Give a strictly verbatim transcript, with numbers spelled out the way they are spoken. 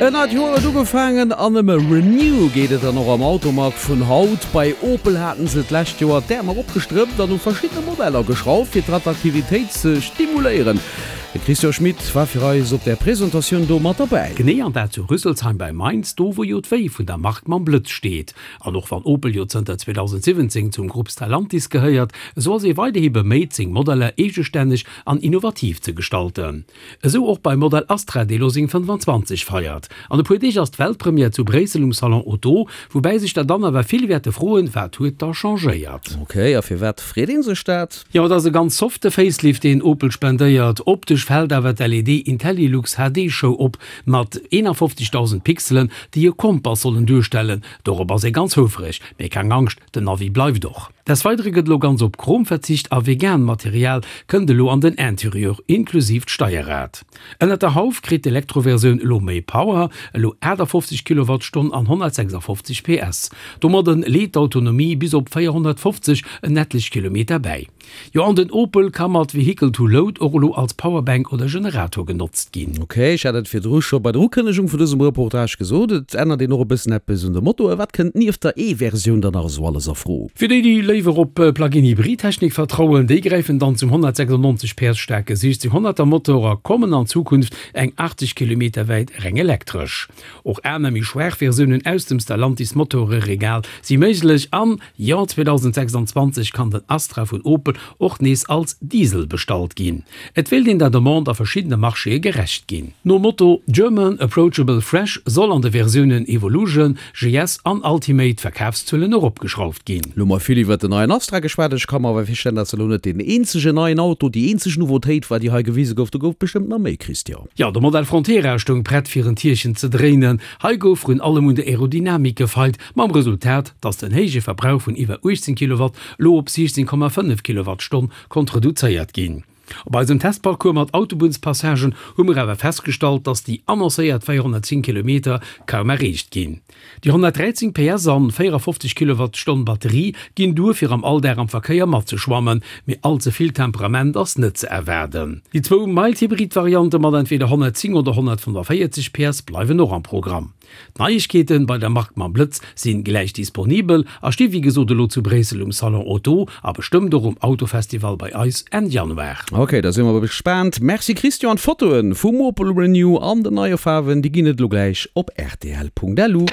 En neit Joer huet ugefaangen an ëm e Renew geet et dann och am Automag vun haut. Bei Opel haten se d'lescht Joer d'Äerm eropgestrëppt an u verschiddene Modeller geschrauft, fir d'Attraktivitéit ze stimuléieren. De Christian Schmit war fir eis op där Presentatioun do mat derbäi. Genee, an dat zu Rüsselsheim bei Mainz, do wou jo d'Wéi vun der Mark mam Blëtz steet. An och wann Opel jo zënter zweedausendsiwwenzéng zum Grupp Stellantis gehéiert, esou ass ee weiderhi beméit, seng Modeller eegestänneg an innovativ ze gestalten. Esou och beim Modell Astra, dee lo seng fënnfanzwanzeg feiert. An e puer Deeg ass d'Weltpremière zu Bréissel um Salon Auto, woubäi sech der dann awer vill wäerte froen, Wat huet da changéiert? Ok, a firwat freet ee sech dat? Jo, et ass e ganz softe Facelift, deen Opel spendéiert. Optesch fält awer d'L E D IntelliLux H D Show op, mat eenafofzegdausend Pixelen, déi e Kompass sollen duerstellen. Dorop ass ee ganz houfreg, mee keng Angscht, den Navi bleift och. Des Weidere gëtt elo ganz op Chrom verzicht a vegan Material kënnt elo an den Interieur, inklusiv d'Steierrad. Ënnert der Hauf kritt d'Elektroversioun elo méi Power, elo aachtafoffzeg Kilowattstonn an honnertsechsafofzeg P S. Domadde leet d'Autonomie bis op véierhonnertfofzeg en etlech Kilometer bäi. Jo, an den Opel ka mat Vehicle to Load och elo als Powerbank oder Generator genotzt ginn. Ok, ech hat et virdru scho bei der Ukënnegung vun dësem Reportage gesot, et ännert een och e bëssen eppes un de Motoe. Wat kënnt nieft der E-Versioun dann nach esou alles a Fro? Fir déi, déi léiwer op Plug-in-Hybrid-Technik vertrauen, déi gräifen dann zum honnertsechsannonzeg P S staarke siechzeghonnerter Motor a kommen an Zukunft eng achtzeg Kilometer wäit reng elektresch. Och aner méi schwaach Versiounen aus dem Stellantis-Motoreregal si méiglech an, jo, zweedausendsechsanzwanzeg kann den Astra vun Opel och nees als Diesel bestallt ginn. Et wéilt een der Demande a verschiddene Marchéë gerecht ginn. Nom Motto German Approachable Fresh soll an de Versiounen Evolution, G S an Ultimate d'Verkafszuelen eropgeschrauft ginn. Lo hu mer vill iwwert den neien Astra geschwat. Ech ka mer awer virstellen, dass dat elo net deen eenzegen neien Auto, déi eenzeg Nouveautéit war, déi hei gewise gouf. Do gouf bestëmmt nach méi, Christian. Jo, de Modell Frontera stoung prett fir en Tierchen ze dréinen. Hei gouf vrun allem un der Aerodynamik gefeilt, mam Resultat, dass den héije Verbrauch vun iwwer uechtzéng Kilowatt lo op siechzéng Komma fënnef Kilowattstonn konnt reduzéiert ginn. Op eisem Testparcours mat Autobunnspassagen hu mer awer festgestallt, dass déi annoncéiert véierhonnertzéng Kilometer kaum erreecht ginn. Déi honnertdräizéng P S an véierafofzeg Kilowattstonn Batterie ginn duer fir am Alldag am Verkéier matzeschwammen, mee all ze vill Temperament ass net ze erwaarden. Déi zwou Mild-Hybrid-Variante mat entweder honnertzéng oder honnertfënnefenvéierzeg P S bleiwen och am Programm. D'Neiegkeeten bei der Mark mam Blëtz sinn gläich disponibel a sti wéi gesot elo zu Bréissel um Salon Auto a bestëmmt och um Autofestival bei eis Enn Januar. Ok, da si mer gespaant. Merci Christian, d'Fotoen vum Opel Renew an den neie Faarwen, déi ginn et elo gläich op rtl Punkt lu.